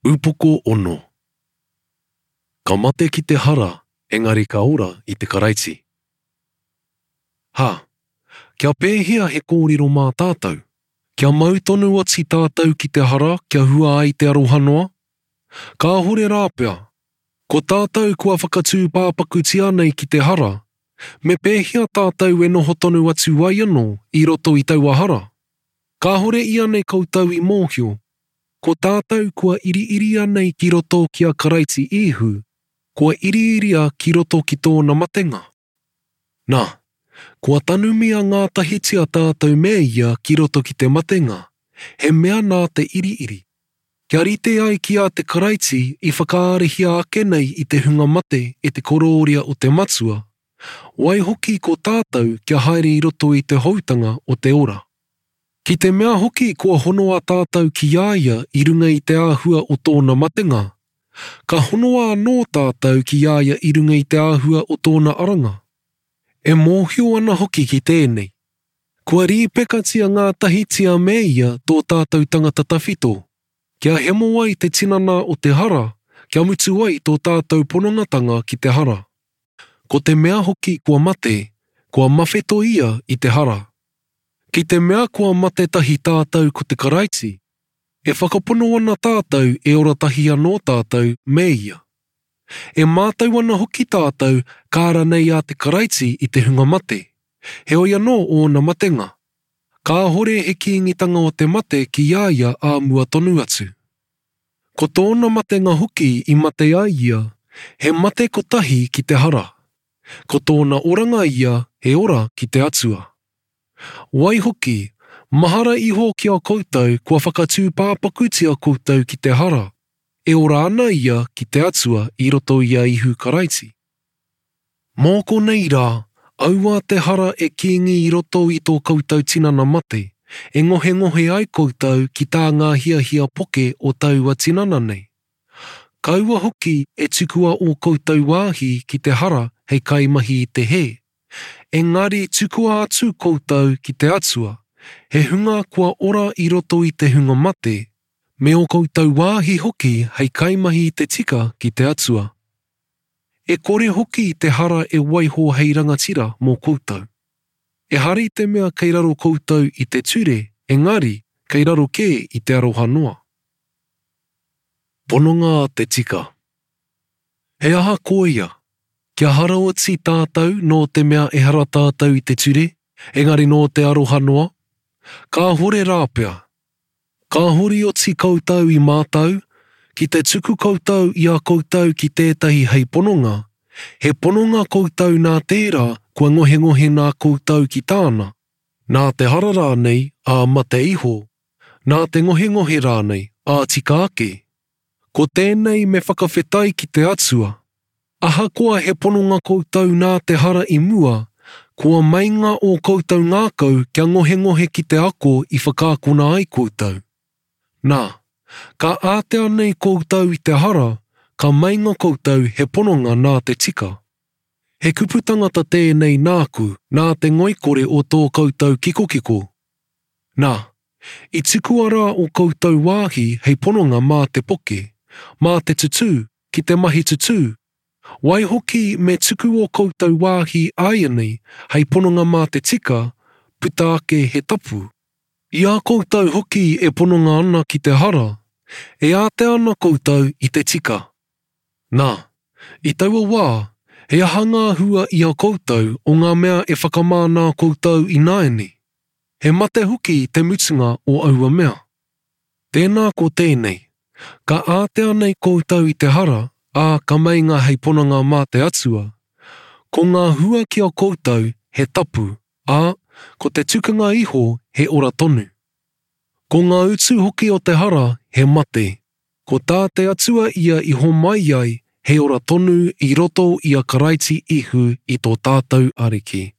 Upoko ono. Ka mate ki te hara, engari ka ora i te Karaiti. Ha! Kia pēhea he kōrero mā tātou? Kia mau tonu oti tātou ki te hara kia hua ai te aroha noa? Kāhore rāpea! Ko tātou kua whakatūpāpakutia nei ki te hara, me pēhea tātou e noho tonu atu ai anō i roto i taua hara? Kāhore ianei koutou i mōhio, Ko tātou kua iriiria nei ki roto ki a Karaiti Īhu, kua iriiria ki roto ki tōna matenga. Nā, kua tanumia ngātahitia tātou me ia ki roto ki te matenga, he mea nā te iriiri, kia rite ai ki a te Karaiti i whakaarahia ake nei i te hunga mate e te korōria o te Matua, waihoki ko tātou kia haere i roto i te houtanga o te ora. Ki te mea hoki kua honoa tātou ki a ia i runga i te āhua o tōna matenga, ka honoa anō tātou ki a ia i runga i te āhua o tōna aranga. E mōhio ana hoki ki tēnei, kua rīpekatia ngātahitia me ia tō tātou tangata tawhito, kia hemo ai te tinana o te hara, kia mutu ai tō tātou ponongatanga ki te hara. Ko te mea hoki kua mate, kua mawheto ia i te hara. Ki te mea kua mate tahi tātou ko te Karaiti, e whakapono ana tātou e ora tahi anō tātou me ia. E mātau ana hoki tātou ka ara nei a te Karaiti i te hunga mate, heoi anō ōna matenga, kāhore he kīngitanga o te mate ki a ia ā mua tonu atu. Ko tōna matenga hoki i mate ai ia, he mate kotahi ki te hara, ko tōna oranga ia he ora ki te Atua. Waihoki, mahara iho ki a koutou kua whakatūpāpakutia koutou ki te hara, e ora ana ia ki te Atua i roto i a Ihu Karaiti. Mō konei rā, aua te hara e kīngi i roto i tō koutou tinana mate, e ngohengohe ai koutou ki tā ngā hiahia poke o taua tinana nei. Kaua hoki e tukua ō koutou wāhi ki te hara hei kaimahi i te hē, Engari tukua atu koutou ki te Atua, he hunga kua ora i roto i te hunga mate, me ō koutou wāhi hoki hei kaimahi i te tika ki te Atua. E kore hoki te hara e waiho hei rangatira mō koutou. Ehara i te mea kei raro koutou i te ture, engari kei raro kē i te aroha noa. Pononga te tika. He aha koia? Kia hara oti tātou nō te mea ehara tātou i te ture, engari nō te aroha noa? Kāhore rāpea. Kāhore oti koutou i mātau, ki te tuku koutou i a koutou ki tētahi hei pononga, he pononga koutou nā tērā kua ngohengohe nā koutou ki tāna, nā te hara rānei, ā mate iho, nā te ngohengohe rānei, ā tika ake. Ko tēnei me whakawhetai ki te Atua. Ahakoa he pononga koutou nā te hara i mua, kua meinga ō koutou ngākau kia ngohengohe ki te ako i whakaakona ai koutou. Nā, ka ātea nei koutou i te hara, ka meinga koutou he pononga nā te tika. He kupu tangata tēnei nāku, nā te ngoikore o tō koutou kikokiko. Nā, I tukua rā ō koutou wāhi hei pononga mā te poke, mā te tutū, ki te mahi tutū, waihoki me tuku ō koutou wāhi āianei hei pononga mā te tika, puta ake he tapu. I a koutou hoki e pononga ana ki te hara, e ātea ana koutou i te tika. Nā, i taua wā, he aha ngā hua i a koutou o ngā mea e whakamā nā koutou ināianei? He mate hoki te mutunga o aua mea. Tēnā ko tēnei, ka ātea nei koutou i te hara, ā, ka meinga hei pononga mā te Atua. Ko ngā hua ki a koutou he tapu, ā, ko te tukanga iho he ora tonu. Ko ngā utu hoki o te hara he mate. Ko tā te Atua ia i homai ai he ora tonu i roto i a Karaiti Ihu i tō tātou Ariki.